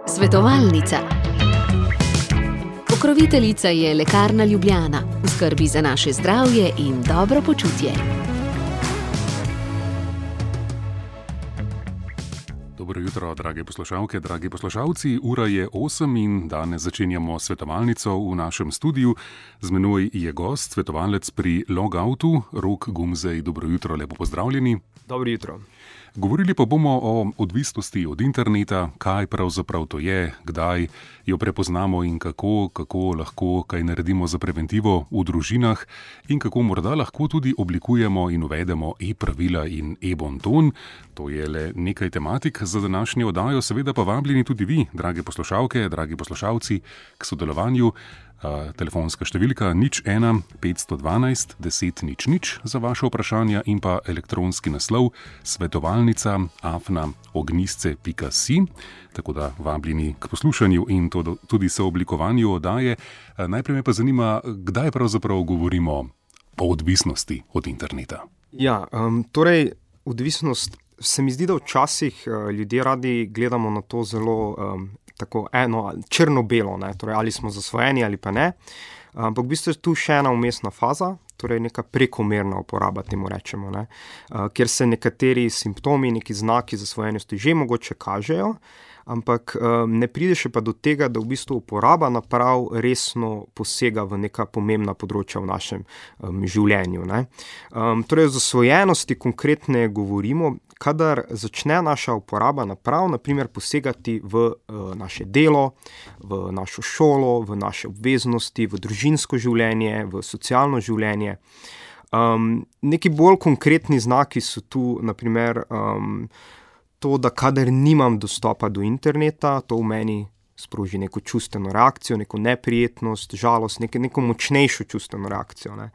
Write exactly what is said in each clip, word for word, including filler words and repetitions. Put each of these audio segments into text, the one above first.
Svetovalnica. Pokroviteljica je Lekarna Ljubljana, v skrbi za naše zdravje in dobro počutje. Dobro jutro, drage poslušalke, dragi poslušalci. Ura je osem in danes začenjamo svetovalnico v našem studiu. Z menoj je gost, svetovalec pri Logoutu, Rok Gumzej. Dobro jutro, lepo pozdravljeni. Dobro jutro. Govorili pa bomo o odvisnosti od interneta, kaj pravzaprav to je, kdaj jo prepoznamo in kako, kako lahko kaj naredimo za preventivo v družinah in kako morda lahko tudi oblikujemo in uvedemo e-pravila in e-bonton. To je le nekaj tematik za današnjo oddajo, seveda pa vabljeni tudi vi, drage poslušalke, dragi poslušalci, k sodelovanju. Uh, telefonska številka nič ena petsto dvanajst deset nič nič za vaše vprašanja in pa elektronski naslov svetovalnica afna ognjisce pika si. Tako da vabljeni k poslušanju in to, tudi sooblikovanju oddaje. Uh, najprej me pa zanima, kdaj pravzaprav govorimo o odvisnosti od interneta. Ja, um, torej odvisnost, se mi zdi, da včasih uh, ljudje radi gledamo na to zelo um, tako eno črno-belo, ne? Torej ali smo zasvojeni ali pa ne. Ampak v bistvu je tu še ena vmesna faza, torej neka prekomerna uporaba, temu rečemo, ne? Uh, kjer se nekateri simptomi, neki znaki zasvojenosti že mogoče kažejo, ampak um, ne pride še pa do tega, da v bistvu uporaba naprav resno posega v neka pomembna področja v našem um, življenju, ne? Um, torej o zasvojenosti konkretne govorimo, kadar začne naša uporaba naprav, na primer, posegati v uh, naše delo, v našo šolo, v naše obveznosti, v družinsko življenje, v socialno življenje. Um, neki bolj konkretni znaki so tu, na primer, um, to, da kadar nimam dostopa do interneta, to v meni sproži neko čustveno reakcijo, neko neprijetnost, žalost, neko, neko močnejšo čustveno reakcijo, ne.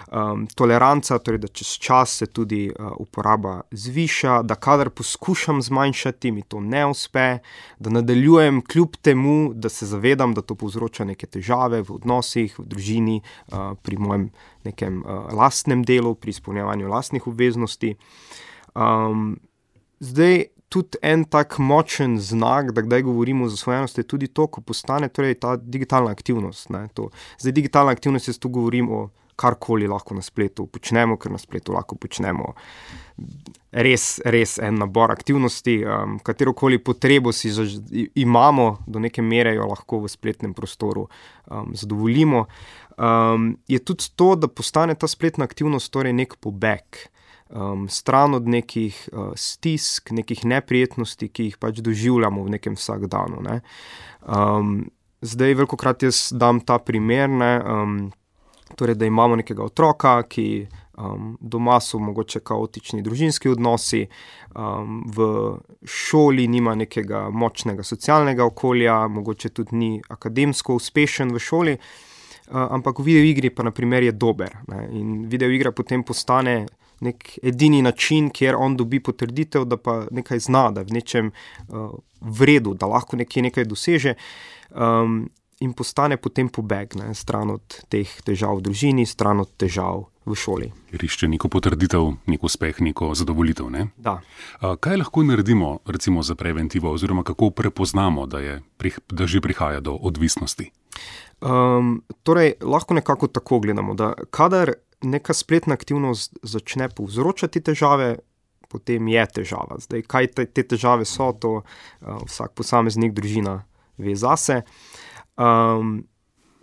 Um, toleranca, torej da čez čas se tudi uh, uporaba zviša, da kadar poskušam zmanjšati, mi to ne uspe, da nadaljujem kljub temu, da se zavedam, da to povzroča neke težave v odnosih, v družini, uh, pri mojem nekem uh, lastnem delu, pri izpolnjevanju lastnih obveznosti. Um, zdaj, tudi en tak močen znak, da kdaj govorimo o zasvojenosti, je tudi to, ko postane torej ta digitalna aktivnost, ne, to. Zdaj, digitalna aktivnost, jaz tu govorim o karkoli lahko na spletu počnemo, ker na spletu lahko počnemo res, res en nabor aktivnosti, um, katerokoli potrebo si zaž- imamo, do neke mere jo lahko v spletnem prostoru um, zadovoljimo. Um, je tudi to, da postane ta spletna aktivnost torej nek pobeg, Um, stran od nekih uh, stisk, nekih neprijetnosti, ki jih pač doživljamo v nekem vsakdanu, ne. Um, zdaj, velikokrat jaz dam ta primer, ne, um, torej, da imamo nekega otroka, ki um, doma so mogoče kaotični družinski odnosi, um, v šoli nima nekega močnega socialnega okolja, mogoče tudi ni akademsko uspešen v šoli, uh, ampak v videoigri pa na primer je dober, ne, in videoigra potem postane nek edini način, kjer on dobi potrditev, da pa nekaj zna, da je v nečem uh, vredu, da lahko nekje nekaj doseže, um, in postane potem pobeg, ne, stran od teh težav v družini, stran od težav v šoli. Išče neko potrditev, nek uspeh, neko zadovoljitev, ne? Da. A, kaj lahko naredimo, recimo, za preventivo, oziroma kako prepoznamo, da, je, da že prihaja do odvisnosti? Um, torej, lahko nekako tako gledamo, da kadar neka spletna aktivnost začne povzročati težave, potem je težava. Zdaj, kaj te, te težave so, to uh, vsak posameznik, družina ve zase. Um,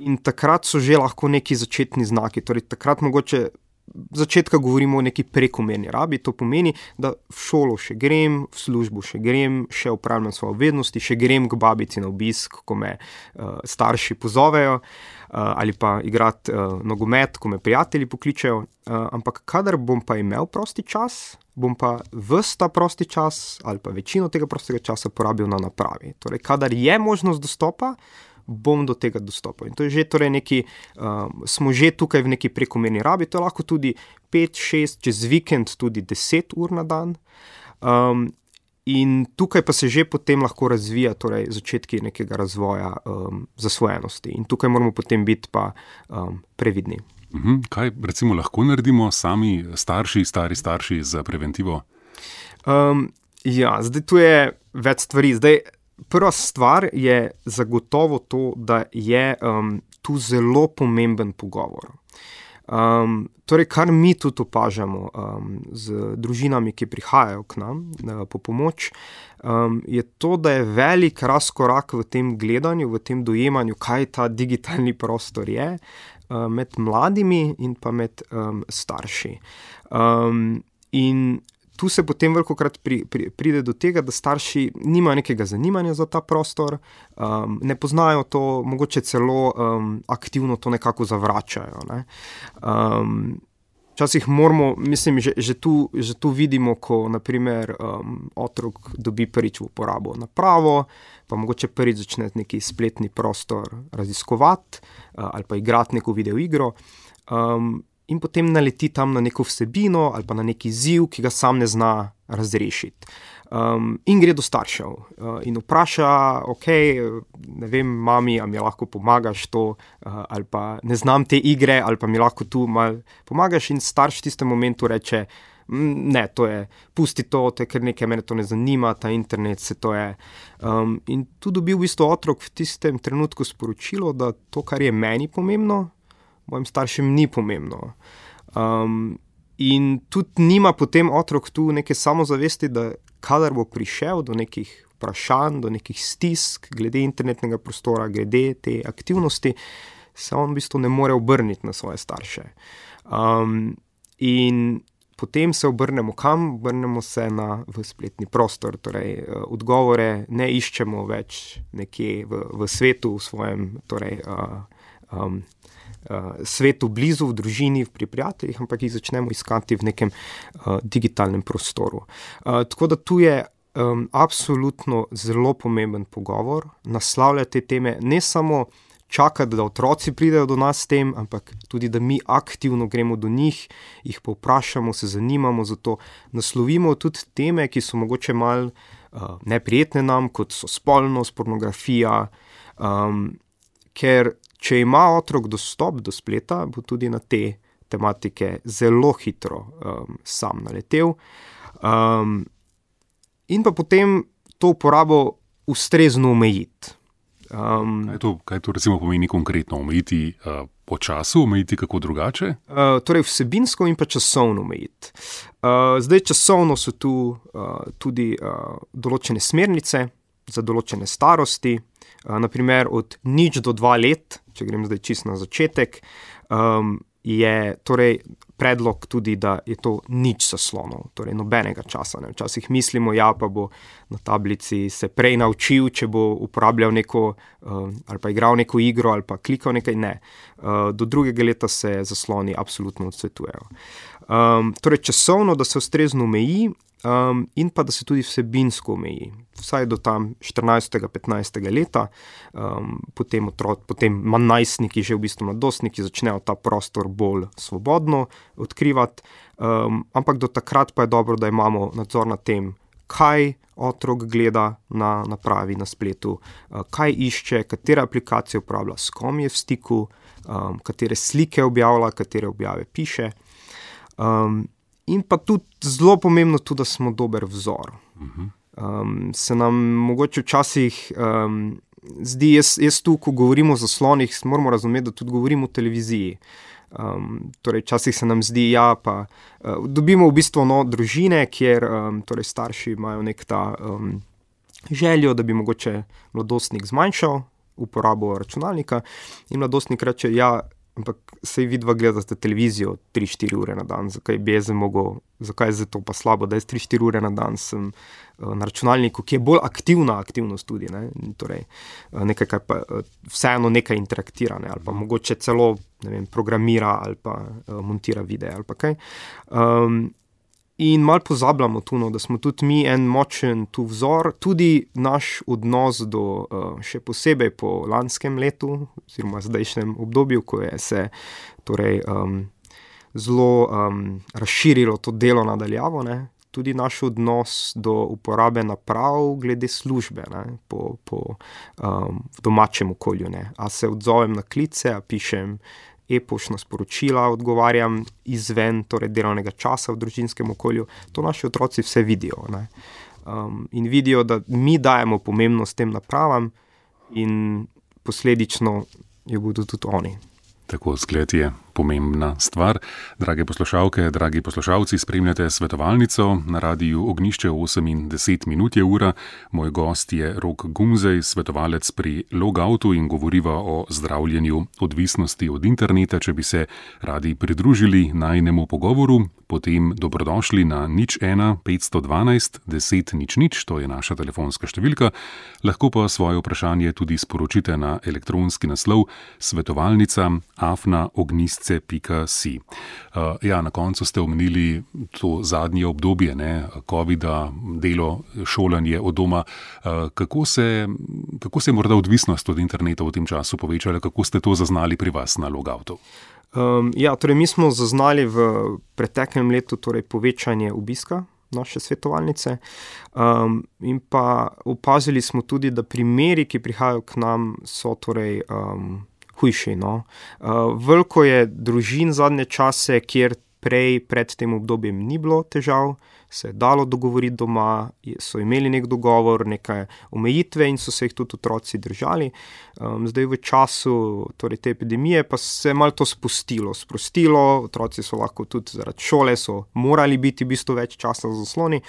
in takrat so že lahko neki začetni znaki, torej takrat mogoče začetka govorimo o neki prekomerni rabi, to pomeni, da v šolo še grem, v službo še grem, še opravljam svoje obveznosti, še grem k babici na obisk, ko me uh, starši pozovejo, uh, ali pa igrati uh, nogomet, ko me prijatelji pokličejo, uh, ampak kadar bom pa imel prosti čas, bom pa ves ta prosti čas ali pa večino tega prostega časa porabil na napravi. Torej, kadar je možnost dostopa, bom do tega dostopal. In to je že torej neki, um, smo že tukaj v neki prekomerni rabi, to je lahko tudi pet, šest, čez vikend tudi deset ur na dan. Um, in tukaj pa se že potem lahko razvija torej začetki nekega razvoja um, zasvojenosti. In tukaj moramo potem biti pa um, previdni. Mhm. Kaj recimo lahko naredimo sami starši, stari starši za preventivo? Um, Ja, zdaj tu je več stvari. Zdaj, prva stvar je zagotovo to, da je um, tu zelo pomemben pogovor. Um, torej, kar mi tudi opažamo um, z družinami, ki prihajajo k nam uh, po pomoč, um, je to, da je velik razkorak v tem gledanju, v tem dojemanju, kaj ta digitalni prostor je, uh, med mladimi in pa med um, starši. Um, in tu se potem velikokrat pri, pri, pride do tega, da starši nimajo nekega zanimanja za ta prostor, um, ne poznajo to, mogoče celo um, aktivno to nekako zavračajo. Ne. Um, včasih moramo, mislim, že, že, tu, že tu vidimo, ko naprimer um, otrok dobi prvič v uporabo napravo, pa mogoče prvič začne neki spletni prostor raziskovati uh, ali pa igrati neko videoigro. Um, In potem naleti tam na neko vsebino ali pa na neki izziv, ki ga sam ne zna razrešiti. Um, in gre do staršev uh, in vpraša, ok, ne vem, mami, a mi lahko pomagaš to, uh, ali pa ne znam te igre, ali pa mi lahko tu malo pomagaš. In starš v tistem momentu reče, ne, to je, pusti to, to je kar nekaj, mene to ne zanima, ta internet, se to je. Um, in tu dobi v bistvu otrok v tistem trenutku sporočilo, da to, kar je meni pomembno, mojim staršem ni pomembno. Um, in tudi nima potem otrok tu neke samozavesti, da kadar bo prišel do nekih vprašanj, do nekih stisk glede internetnega prostora, glede te aktivnosti, se on v bistvu ne more obrniti na svoje starše. Um, in potem se obrnemo kam? Obrnemo se na v spletni prostor, torej odgovore ne iščemo več nekje v, v svetu, v svojem torej, uh, um, Uh, svetu blizu, v družini, pri prijateljih, ampak jih začnemo iskati v nekem uh, digitalnem prostoru. Uh, tako da tu je um, absolutno zelo pomemben pogovor, naslavljati te teme, ne samo čakati, da otroci pridejo do nas s tem, ampak tudi, da mi aktivno gremo do njih, jih povprašamo, se zanimamo za to, naslovimo tudi teme, ki so mogoče malo uh, neprijetne nam, kot so spolnost, pornografija, um, ker če ima otrok dostop do spleta, bo tudi na te tematike zelo hitro um, sam naletel. Um, in pa potem to uporabo ustrezno omejiti. Um, kaj, to, kaj to recimo pomeni konkretno? Omejiti uh, po času, omejiti kako drugače? Uh, torej vsebinsko in pa časovno omejiti. Uh, zdaj časovno so tu uh, tudi uh, določene smernice za določene starosti, uh, naprimer od nič do dva let, če grem zdaj čisto na začetek, um, je torej predlog tudi, da je to nič zaslonov, torej nobenega časa. Ne. Včasih mislimo, ja, pa bo na tablici se prej naučil, če bo uporabljal neko, um, ali pa igral neko igro, ali pa klikal nekaj, ne. Uh, do drugega leta se zasloni absolutno odsvetujejo. Um, torej časovno, da se ustrezno omeji, Um, in pa da se tudi vsebinsko omeji, vsaj do tam štirinajstega, petnajstega leta, um, potem, otrok, potem najstniki, že v bistvu mladostniki, začnejo ta prostor bolj svobodno odkrivati, um, ampak do takrat pa je dobro, da imamo nadzor nad tem, kaj otrok gleda na napravi, na spletu, uh, kaj išče, katere aplikacije uporablja, s kom je v stiku, um, katere slike objavlja, katere objave piše. Um, In pa tudi zelo pomembno tudi, da smo dober vzor. Um, se nam mogoče včasih um, zdi, jaz, jaz tu, ko govorimo o zaslonih, moramo razumeti, da tudi govorimo o televiziji. Um, torej, včasih se nam zdi, ja, pa uh, dobimo v bistvu no, družine, kjer um, torej starši imajo nek ta um, željo, da bi mogoče mladostnik zmanjšal uporabo računalnika in mladostnik reče, ja, ampak sej vidva gledate televizijo tri štiri ure na dan, zakaj bi jaz mogel, zakaj je to pa slabo, da jaz tri štiri ure na dan sem uh, na računalniku, ki je bolj aktivna aktivnost tudi, ne? Torej uh, nekaj, kar pa uh, vseeno nekaj interaktira, ne? Ali pa mogoče celo, ne vem, programira ali pa uh, montira videe ali pa kaj. Um, In malo pozabljamo tu, no, da smo tudi mi en močen tu vzor, tudi naš odnos do, uh, še posebej po lanskem letu, oziroma zdajšnjem obdobju, ko je se torej, um, zelo um, razširilo to delo nadaljavo, ne, tudi naš odnos do uporabe naprav glede službe, ne, po, po um, v domačem okolju. Ne. A se odzovem na klice, a pišem e-poštna sporočila, odgovarjam izven torej delovnega časa v družinskem okolju, to naši otroci vse vidijo. Ne. um, in vidijo, da mi dajemo pomembnost tem napravam in posledično jo bodo tudi oni. Tako, zgled je pomembna stvar. Drage poslušalke, dragi poslušalci, spremljate svetovalnico na radiju Ognjišče. Osem in deset minut je ura. Moj gost je Rok Gumzej, svetovalec pri Logoutu, in govoriva o zdravljenju odvisnosti od interneta. Če bi se radi pridružili najnemu pogovoru, potem dobrodošli na nič ena petsto dvanajst deset nič nič, to je naša telefonska številka. Lahko pa svoje vprašanje tudi sporočite na elektronski naslov svetovalnica afna ognjisce pika si. Uh, ja, na koncu ste omenili to zadnje obdobje, ne, covida, delo, šolanje od doma. Uh, kako se, kako se je morda odvisnost od interneta v tem času povečala? Kako ste to zaznali pri vas na Logoutu? Um, ja, torej mi smo zaznali v preteklem letu torej povečanje obiska naše svetovalnice um, in pa opazili smo tudi, da primeri, ki prihajajo k nam, so torej um, hujši. No. Uh, veliko je družin zadnje čase, kjer prej pred tem obdobjem ni bilo težav, se je dalo dogovoriti doma, so imeli nek dogovor, neke omejitve in so se jih tudi otroci držali. Um, zdaj v času torej, te epidemije pa se je malo to spustilo, sprostilo, otroci so lahko tudi zaradi šole, so morali biti v bistvu več časa za zasloni.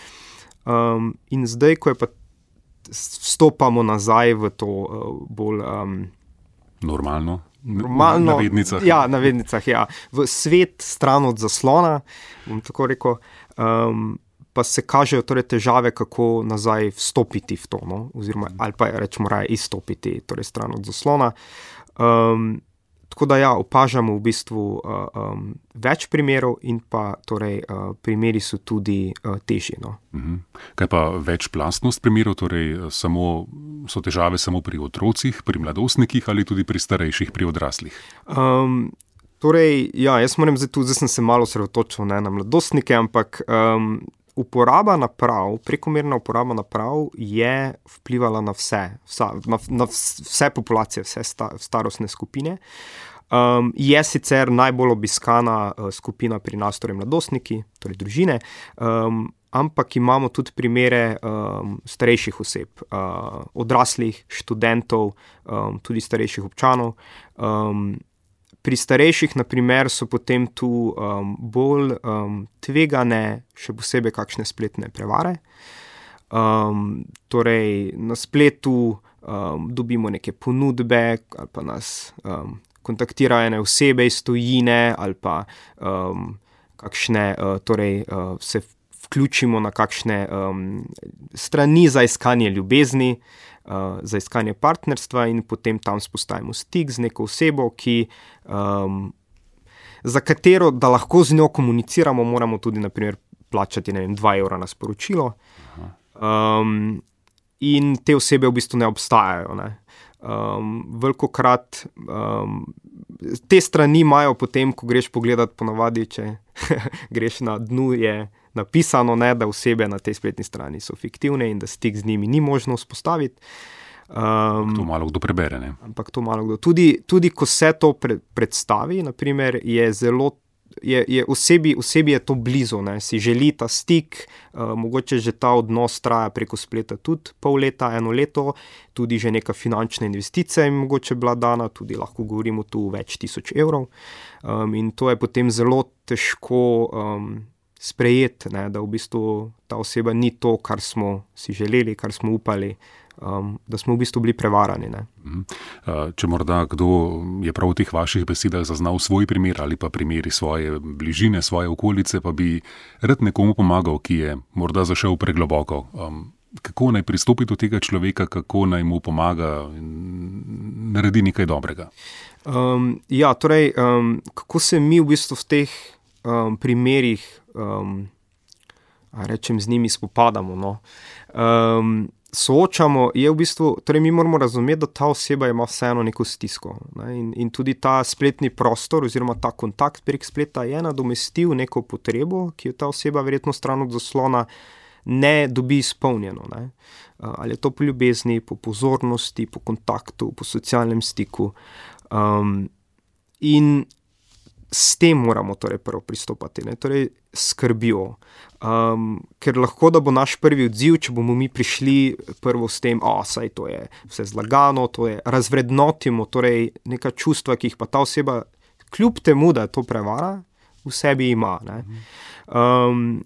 Um, in zdaj, ko je pa vstopamo nazaj v to uh, bolj... Um, Normalno. Normalno, na vednicah. Ja, na vednicah, ja. V svet stran od zaslona, bom tako rekel, um, pa se kažejo torej težave, kako nazaj vstopiti v to, no? Oziroma, ali pa rečemo raje izstopiti torej stran od zaslona. Um, tako da ja, opažamo v bistvu uh, um, več primerov in pa torej uh, primeri so tudi uh, težji. No? Mhm. Kaj pa večplastnost primerov, torej samo, so težave samo pri otrocih, pri mladostnikih ali tudi pri starejših, pri odraslih? Um, torej, ja, jaz moram zdaj tudi, zdaj sem se malo osredotočil ne, na mladostnike, ampak um, uporaba naprav, prekomerna uporaba naprav je vplivala na vse, vsa, na, na vse populacije, vse sta, starostne skupine. Um, je sicer najbolj obiskana uh, skupina pri nas, torej mladostniki, torej družine, um, ampak imamo tudi primere um, starejših oseb, uh, odraslih, študentov, um, tudi starejših občanov. Um, Pri starejših, na primer, so potem tu um, bolj um, tvegane, še posebej kakšne spletne prevare. Um, torej, na spletu um, dobimo neke ponudbe, ali pa nas um, kontaktirajo ene osebe iz tujine, ali pa um, kakšne, uh, torej, uh, se vključimo na kakšne um, strani za iskanje ljubezni, Uh, za iskanje partnerstva in potem tam spostavimo stik z neko osebo, ki, um, za katero, da lahko z njo komuniciramo, moramo tudi, na primer, plačati, ne vem, dva evra na sporočilo. Um, in te osebe v bistvu ne obstajajo. Ne. Um, velikokrat um, te strani imajo potem, ko greš pogledat, ponavadi, če greš na dnu, je napisano, ne, da osebe na tej spletni strani so fiktivne in da stik z njimi ni možno vzpostaviti. Um, to malo kdo prebere, ne? Ampak to malo kdo. Tudi, tudi ko se to pre, predstavi, naprimer, je zelo, je, je osebi, osebi je to blizu, ne, si želi ta stik, uh, mogoče že ta odnos traja preko spleta tudi pol leta, eno leto, tudi že neka finančna investicija je mogoče bila dana, tudi lahko govorimo tu več tisoč evrov. Um, in to je potem zelo težko um, sprejeti, ne, da v bistvu ta oseba ni to, kar smo si želeli, kar smo upali, um, da smo v bistvu bili prevarani. Ne. Če morda kdo je prav v teh vaših besedah zaznal svoj primer ali pa primeri svoje bližine, svoje okolice, pa bi rad nekomu pomagal, ki je morda zašel pregloboko. Um, kako naj pristopi do tega človeka, kako naj mu pomaga in naredi nekaj dobrega? Um, ja, torej, um, kako se mi v bistvu v teh um, primerih Um, rečem, z njimi spopadamo. No. Um, soočamo, je v bistvu, torej mi moramo razumeti, da ta oseba ima vseeno neko stisko. Ne, in, in tudi ta spletni prostor oziroma ta kontakt prek spleta je nadomestil neko potrebo, ki jo ta oseba verjetno stran od zaslona ne dobi izpolnjeno. Ne. Uh, ali je to po ljubezni, po pozornosti, po kontaktu, po socialnem stiku. Um, in s tem moramo torej prvo pristopati, ne? Torej skrbijo. Um, ker lahko da bo naš prvi odziv, če bomo mi prišli prvo s tem, o, saj to je vse zlagano, to je razvrednotimo, torej neka čustva, ki jih pa ta oseba, kljub temu, da je to prevara, v sebi ima. Ne? Um,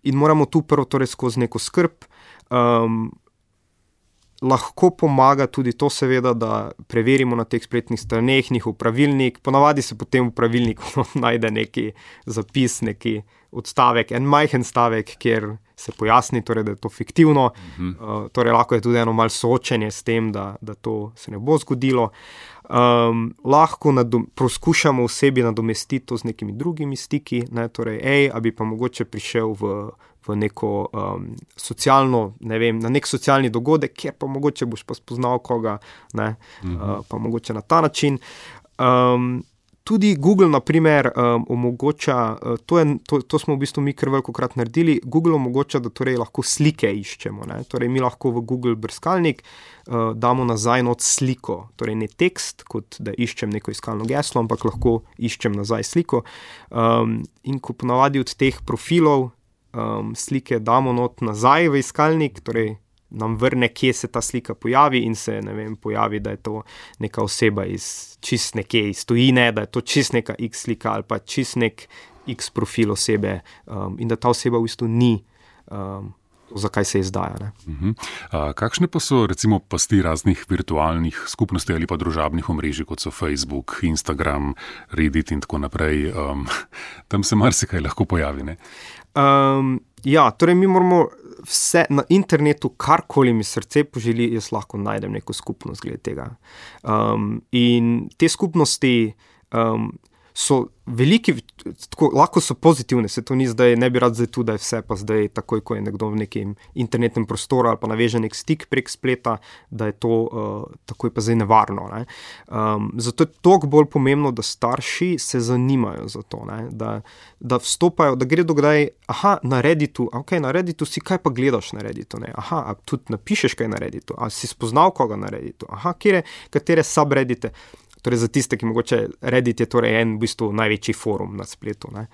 in moramo tu prvo torej skozi neko skrb. Um, Lahko pomaga tudi to, seveda, da preverimo na teh spletnih straneh njihov pravilnik. Ponavadi se potem v pravilniku najde neki zapis, neki odstavek, en majhen stavek, kjer se pojasni, torej, da je to fiktivno. Uh-huh. Uh, torej, lahko je tudi eno malo soočenje s tem, da, da to se ne bo zgodilo. Um, lahko nadom, poskušamo v sebi nadomestiti to z nekimi drugimi stiki, ne? Torej, ej, a bi pa mogoče prišel v v neko um, socialno, ne vem, na nek socialni dogodek, kjer pa mogoče boš pa spoznal koga, ne, mm-hmm. uh, pa mogoče na ta način. Um, tudi Google, na primer, um, omogoča, uh, to, je, to, to smo v bistvu mi kar velikokrat naredili, Google omogoča, da torej lahko slike iščemo, ne, torej mi lahko v Google brskalnik uh, damo nazaj not sliko, torej ne tekst, kot da iščem neko iskalno geslo, ampak lahko iščem nazaj sliko. Um, in ko ponavadi od teh profilov Um, slike damo not nazaj v iskalnik, torej nam vrne, kje se ta slika pojavi in se, ne vem, pojavi, da je to neka oseba iz čist nekje iz tujine, da je to čist neka X slika ali pa čist nek X profil osebe um, in da ta oseba v bistvu ni um, zakaj se izdaja. Ne? Uh-huh. A, kakšne pa so recimo pasti raznih virtualnih skupnosti ali pa družabnih omrežij, kot so Facebook, Instagram, Reddit in tako naprej? Um, tam se marsikaj lahko pojavi, ne? Um, ja, torej mi moramo vse na internetu, karkoli mi srce poželi, jaz lahko najdem neko skupnost glede tega. Um, in te skupnosti um, so veliki, tako, lahko so pozitivne, se to ni zdaj, ne bi rad zdaj tu, da je vse pa zdaj takoj, ko je nekdo v nekem internetnem prostoru ali pa naveže nek stik prek spleta, da je to uh, takoj pa zdaj nevarno. Ne? Um, zato je toliko bolj pomembno, da starši se zanimajo za to, ne? Da, da vstopajo, da gredo kdaj, aha, na Redditu, ok, na Redditu si, kaj pa gledaš na Redditu, ne? Aha, a tudi napišeš kaj na Redditu, a si spoznal koga na Redditu, aha, kjere, katere subreddite. Torej za tiste, ki mogoče Reddit je torej en v bistvu največji forum na spletu. Ne?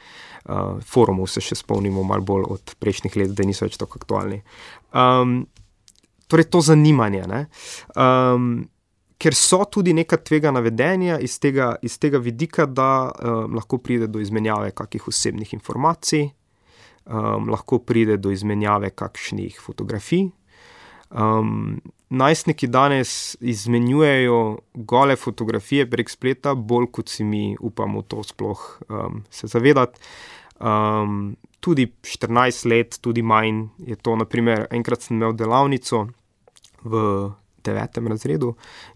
Uh, forumov se še spomnimo malo bolj od prejšnjih let, da niso več tako aktualni. Um, torej to zanimanje, ne? Um, ker so tudi neka tvegana vedenja iz tega, iz tega vidika, da um, lahko pride do izmenjave kakih osebnih informacij, um, lahko pride do izmenjave kakšnih fotografij. Um, najstniki danes izmenjujejo gole fotografije prek spleta, bolj kot si mi upamo to sploh um, se zavedati. Um, tudi štirinajst let, tudi manj je to. Naprimer, enkrat sem imel delavnico v devetem razredu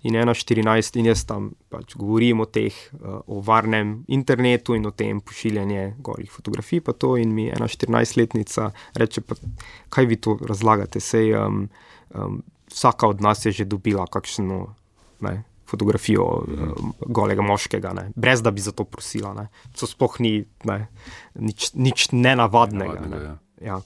in ena štirinajst in jaz tam pač govorim o teh, uh, o varnem internetu in o tem pošiljanje golih fotografij pa to in mi ena štirinajstletnica reče, pa kaj vi to razlagate, sej um, um, vsaka od nas je že dobila kakšno, ne, fotografijo um, golega moškega, ne, brez da bi za to prosila, ne. To sploh ni, ne, nič, nič nenavadnega. Ne. Ja.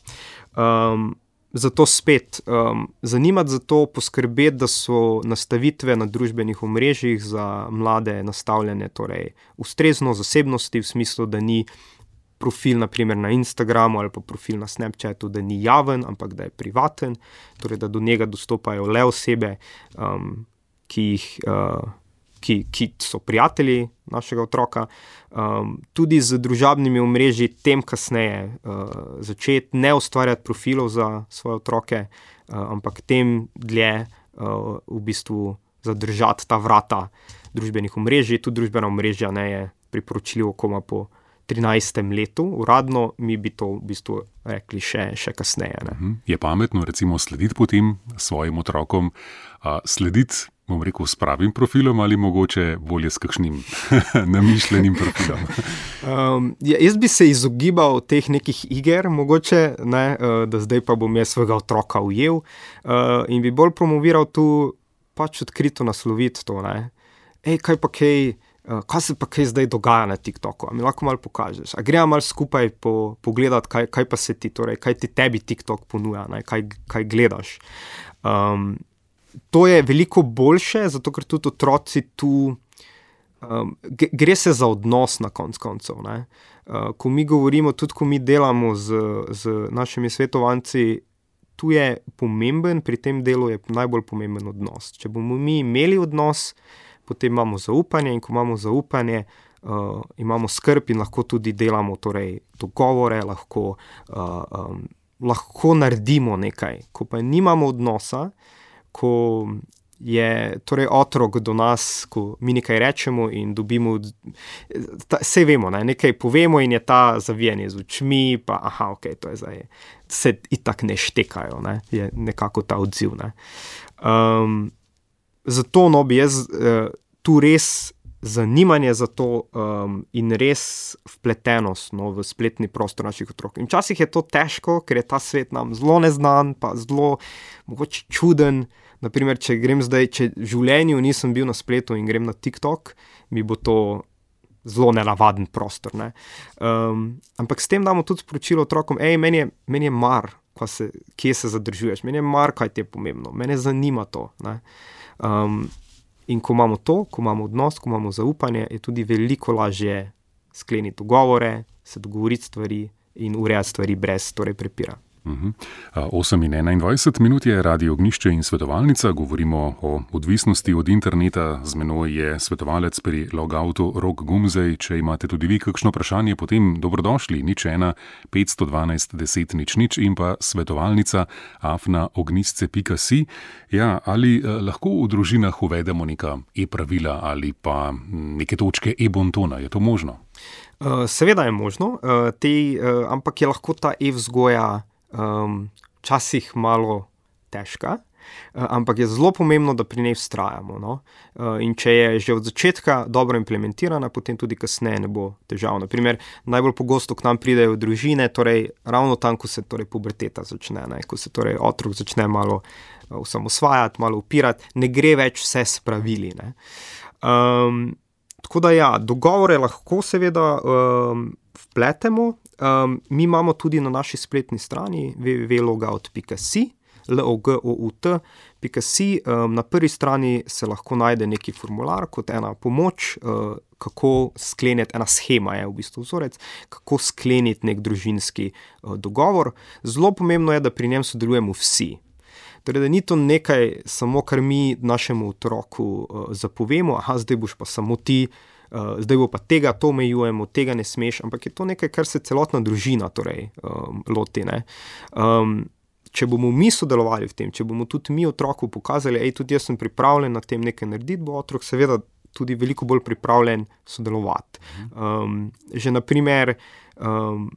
Um, Zato spet um, zanimati za to, poskrbeti, da so nastavitve na družbenih omrežjih za mlade nastavljene torej ustrezno zasebnosti, v smislu, da ni profil naprimer na Instagramu ali pa profil na Snapchatu, da ni javen, ampak da je privaten, torej da do njega dostopajo le osebe, um, ki jih uh, Ki, ki so prijatelji našega otroka, um, tudi z družabnimi omrežji tem kasneje uh, začeti ne ustvarjati profilov za svoje otroke, uh, ampak tem dlje uh, v bistvu zadržati ta vrata družbenih omrežij. Tudi družbena omrežja ne je priporočljivo koma po trinajstem letu, uradno mi bi to v bistvu rekli še, še kasneje. Ne. Je pametno recimo slediti potem svojim otrokom, a slediti, bom rekel, s pravim profilom ali mogoče bolje s kakšnim namišljenim profilom? um, ja, jaz bi se izogibal teh nekih iger, mogoče, ne, uh, da zdaj pa bom jaz svojega otroka ujel uh, in bi bolj promoviral tu pač odkrito nasloviti to, ne. Ej, kaj pa kaj, uh, kaj se pa kaj zdaj dogaja na TikToku, a mi lahko malo pokažeš, a gremo malo skupaj po, pogledati, kaj, kaj pa se ti, torej, kaj ti tebi TikTok ponuja, ne, kaj, kaj gledaš. Um, To je veliko boljše, zato ker tudi otroci tu um, gre se za odnos na konc koncev. Ne? Uh, ko mi govorimo, tudi ko mi delamo z, z našimi svetovanci, tu je pomemben, pri tem delu je najbolj pomemben odnos. Če bomo mi imeli odnos, potem imamo zaupanje in ko imamo zaupanje, uh, imamo skrb in lahko tudi delamo torej, dogovore, lahko, uh, um, lahko naredimo nekaj. Ko pa nimamo odnosa, ko je torej otrok do nas, ko mi nekaj rečemo in dobimo, vse vemo, ne, nekaj povemo in je ta zavijanje z očmi, pa aha, ok, to je zdaj, se itak ne štekajo, ne, je nekako ta odziv. Ne. Um, zato no bi jaz uh, tu res zanimanje za to um, in res vpletenost no, v spletni prostor naših otrok. In včasih je to težko, ker je ta svet nam zelo neznan, pa zelo mogoče čuden. Naprimer, če grem zdaj, če v življenju nisem bil na spletu in grem na TikTok, mi bo to zelo nenavaden prostor. Ne? Um, ampak s tem damo tudi sporočilo otrokom, ej, meni je, meni je mar, se, kje se zadržuješ, meni je mar, kaj ti je pomembno, mene zanima to. Ne? Um, in ko imamo to, ko imamo odnos, ko imamo zaupanje, je tudi veliko lažje skleniti dogovore, se dogovoriti stvari in urejati stvari brez torej prepira. Uh-huh. osem in enaindvajset minut je Radio Ognjišče in svetovalnica. Govorimo o odvisnosti od interneta. Z menoj je svetovalec pri Logoutu Rok Gumzej. Če imate tudi vi kakšno vprašanje, potem dobrodošli. Nič ena, petsto dvanajst, deset, nič nič in pa svetovalnica afna ognjisce pika si. Ja, ali eh, lahko v družinah uvedemo neka e-pravila ali pa neke točke e-bontona? Je to možno? Uh, seveda je možno, uh, te, uh, ampak je lahko ta e-vzgoja Um, včasih malo težka, uh, ampak je zelo pomembno, da pri njej vztrajamo. No? Uh, in če je že od začetka dobro implementirana, potem tudi kasneje ne bo težav. Naprimer, najbolj pogosto k nam pridejo družine, torej ravno tam, ko se torej puberteta začne, ne? Ko se torej otrok začne malo uh, osamosvajati, malo upirati, ne gre več vse s pravili. Ne? Um, tako da ja, dogovore lahko seveda um, vpletemo. Um, mi imamo tudi na naši spletni strani w w w pika logout pika si, l o g o u t pika si. Um, na prvi strani se lahko najde neki formular kot ena pomoč, uh, kako skleniti, ena schema je v bistvu vzorec, kako skleniti nek družinski uh, dogovor. Zelo pomembno je, da pri njem sodelujemo vsi. Torej, da ni to nekaj samo, kar mi našemu otroku uh, zapovemo, aha, zdaj boš pa samo ti, Uh, zdaj bo pa tega, to omejujemo, tega ne smeš, ampak je to nekaj, kar se celotna družina torej, um, loti. Ne? Um, če bomo mi sodelovali v tem, če bomo tudi mi otroku pokazali, ej, tudi jaz sem pripravljen na tem nekaj narediti, bo otrok seveda tudi veliko bolj pripravljen sodelovati. Um, že naprimer, um,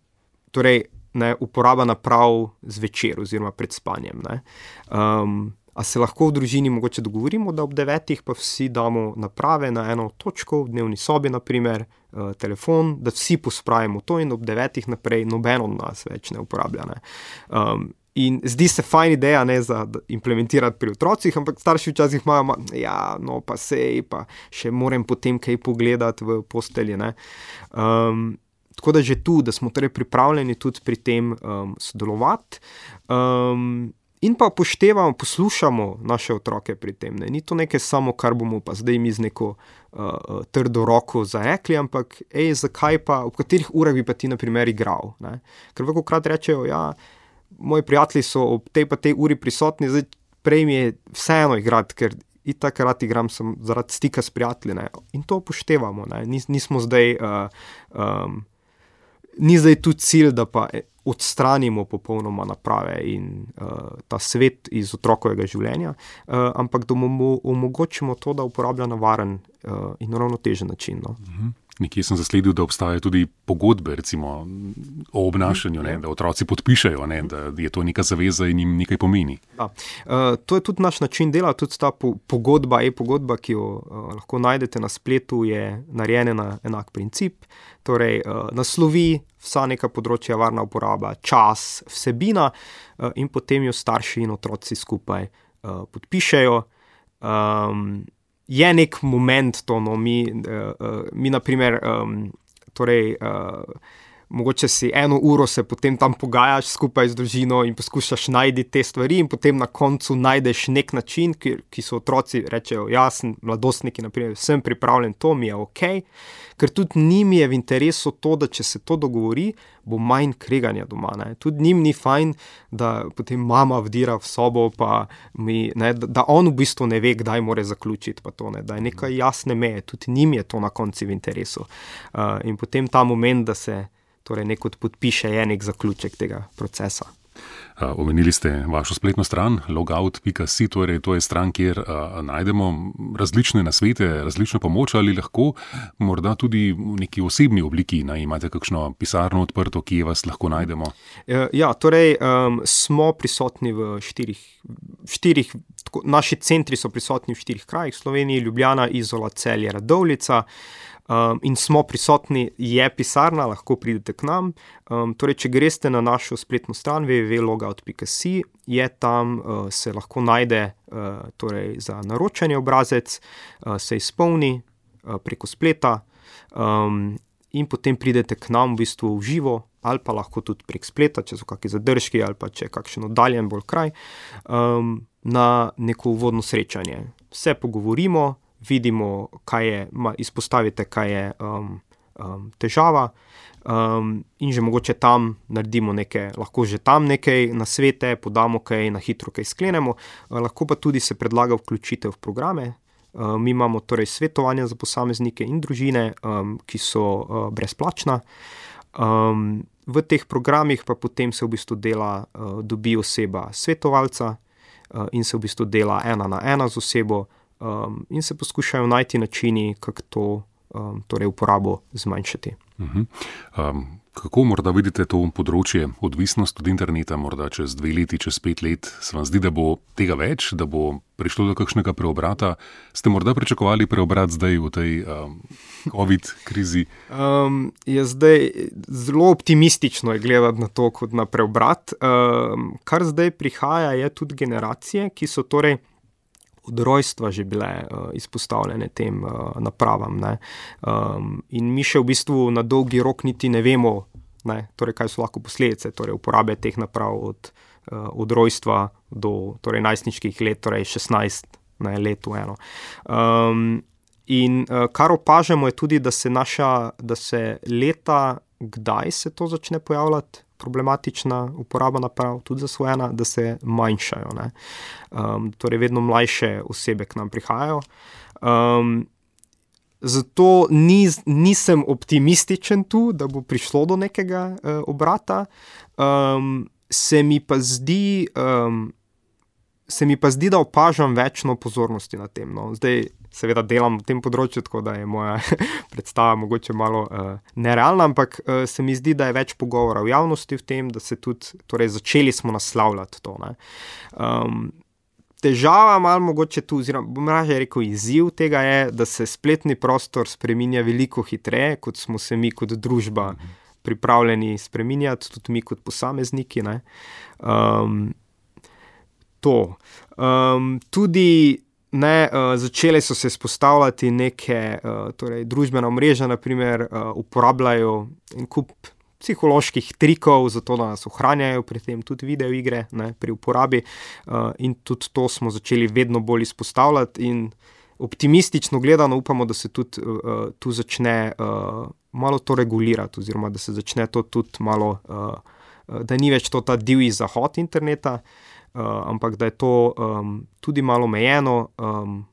torej, ne, uporaba naprav zvečer oziroma pred spanjem. Ne? Um, A se lahko v družini mogoče dogovorimo, da ob devetih pa vsi damo naprave na eno točko, v dnevni sobi naprimer, uh, telefon, da vsi pospravimo to in ob devetih naprej noben od nas več ne uporablja. Ne. Um, in zdi se fajn ideja, ne, za implementirati pri otrocih, ampak starši včasih imajo, ja, no pa sej, pa še moram potem kaj pogledati v postelji. Ne. Um, tako da že tu, da smo torej pripravljeni tudi pri tem um, sodelovati. Um, In pa upoštevamo, poslušamo naše otroke pri tem. Ne. Ni to nekaj samo, kar bomo pa zdaj mi z neko uh, trdo roko zarekli, ampak ej, zakaj pa, v katerih urah bi pa ti na primer igral. Ne. Ker velikokrat rečejo, ja, moji prijatelji so ob tej pa tej uri prisotni, zdaj prej mi je vseeno igrati, ker itak rad igram sem zaradi stika s prijatelji. Ne. In to upoštevamo. Ne. Nis, nismo zdaj, uh, um, ni zdaj tu cilj, da pa odstranimo popolnoma naprave in uh, ta svet iz otrokovega življenja, uh, ampak da mu omogočimo to, da uporablja na varen uh, in ravnotežen način. No. Mhm. Nekje sem zasledil, da obstajajo tudi pogodbe, recimo o obnašanju, ne, da otroci podpišajo, ne, da je to neka zaveza in jim nekaj pomeni. Ja. Uh, to je tudi naš način dela, tudi ta po, pogodba, e-pogodba, ki jo uh, lahko najdete na spletu, je narejena na enak princip, torej uh, naslovi vsa neka področja, varna uporaba, čas, vsebina uh, in potem jo starši in otroci skupaj uh, podpišejo. Um, Je nek moment to, no, mi, uh, uh, mi naprimer, um, torej, uh, mogoče si eno uro se potem tam pogajaš skupaj z družino in poskušaš najti te stvari in potem na koncu najdeš nek način, ki, ki so otroci rečejo, ja, sem mladostniki, naprimer, sem pripravljen, to mi je ok, ker tudi njim je v interesu to, da če se to dogovori, bo manj kreganja doma. Ne. Tudi njim ni fajn, da potem mama vdira v sobo, pa mi, ne, da, da on v bistvu ne ve, kdaj mora zaključiti, pa to, ne, da je nekaj jasne meje, tudi njim je to na koncu v interesu. Uh, in potem ta moment, da se torej nekot podpiše, je nek zaključek tega procesa. Uh, omenili ste vašo spletno stran logout pika si, torej to je stran, kjer uh, najdemo različne nasvete, različno pomoč, ali lahko morda tudi v neki osebni obliki, ne, imate kakšno pisarno odprto, kje vas lahko najdemo? Ja, torej um, smo prisotni v štirih, štirih tako, naši centri so prisotni v štirih krajih, Sloveniji, Ljubljana, Izola, Celje, Radovljica. Um, in smo prisotni, je pisarna, lahko pridete k nam. Um, torej, če greste na našo spletno stran w w w pika logout pika si, je tam, uh, se lahko najde uh, torej za naročanje obrazec, uh, se izpolni uh, preko spleta um, in potem pridete k nam v bistvu v živo, ali pa lahko tudi prek spleta, če so kakšni zadržki ali pa če je kakšen oddaljen bolj kraj, um, na neko uvodno srečanje. Se pogovorimo, vidimo, kaj je, izpostavite, kaj je um, um, težava um, in že mogoče tam naredimo nekaj, lahko že tam nekaj nasvete, podamo kaj, na hitro kaj sklenemo, uh, lahko pa tudi se predlaga vključitev v programe. Uh, mi imamo torej svetovanja za posameznike in družine, um, ki so uh, brezplačna. Um, v teh programih pa potem se v bistvu dela, uh, dobi oseba svetovalca uh, in se v bistvu dela ena na ena z osebo, Um, in se poskušajo najti načini, kako to um, torej uporabo zmanjšati. Uh-huh. Um, kako morda vidite to področje, odvisnost od interneta, morda čez dve leti, čez pet let, se vam zdi, da bo tega več, da bo prišlo do kakšnega preobrata? Ste morda pričakovali preobrat zdaj v tej um, COVID krizi? Um, je zdaj zelo optimistično je gledati na to kot na preobrat. Um, kar zdaj prihaja, je tudi generacije, ki so torej od rojstva že bile uh, izpostavljene tem uh, napravam. Ne? Um, in mi še v bistvu na dolgi rok niti ne vemo, ne? Torej, kaj so lahko posledice torej uporabe teh naprav od, uh, od rojstva do torej, najstniških let, torej šestnajst ne, let v eno. Um, in uh, kar opažamo je tudi, da se naša, da se leta, kdaj se to začne pojavljati, problematična uporaba naprav, tudi zasvojena, da se manjšajo. Ne? Um, torej, vedno mlajše osebe k nam prihajajo. Um, zato ni, nisem optimističen tu, da bo prišlo do nekega uh, obrata. Um, se mi pa zdi, um, se mi pa zdi, da opažam večno pozornosti na tem. No. Zdaj, seveda delam v tem področju, tako da je moja predstava mogoče malo uh, nerealna, ampak uh, se mi zdi, da je več pogovora v javnosti v tem, da se tudi, torej začeli smo naslavljati to. Ne. Um, težava malo mogoče tu, oziroma bom raje rekel izziv tega je, da se spletni prostor spreminja veliko hitreje, kot smo se mi kot družba pripravljeni spreminjati, tudi mi kot posamezniki. Ne. Um, to. Um, tudi Ne, uh, začele so se spostavljati neke uh, torej, družbena omrežja, naprimer, uh, uporabljajo en kup psiholoških trikov, zato da nas ohranjajo pri tem, tudi video igre, ne, pri uporabi uh, in tudi to smo začeli vedno bolj izpostavljati in optimistično gledano upamo, da se tudi uh, tu začne uh, malo to regulirati, oziroma da se začne to tudi malo, uh, uh, da ni več to ta divji zahod interneta, Uh, ampak da je to um, tudi malo omejeno, um,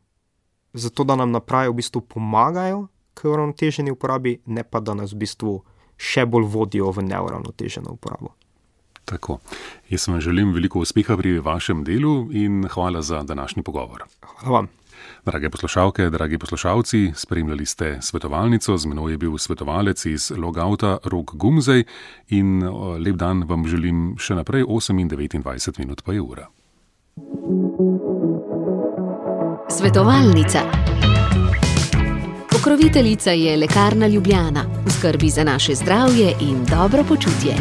zato da nam naprave v bistvu pomagajo k uravnoteženi uporabi, ne pa da nas v bistvu še bolj vodijo v neuravnoteženo uporabo. Tako. Jaz vam želim veliko uspeha pri vašem delu in hvala za današnji pogovor. Hvala vam. Drage poslušalke, dragi poslušalci, spremljali ste svetovalnico, z menoj je bil svetovalec iz Logouta Rok Gumzej in lep dan vam želim še naprej, osem in devetindvajset minut pa je ura. Svetovalnica. Pokroviteljica je Lekarna Ljubljana, v skrbi za naše zdravje in dobro počutje.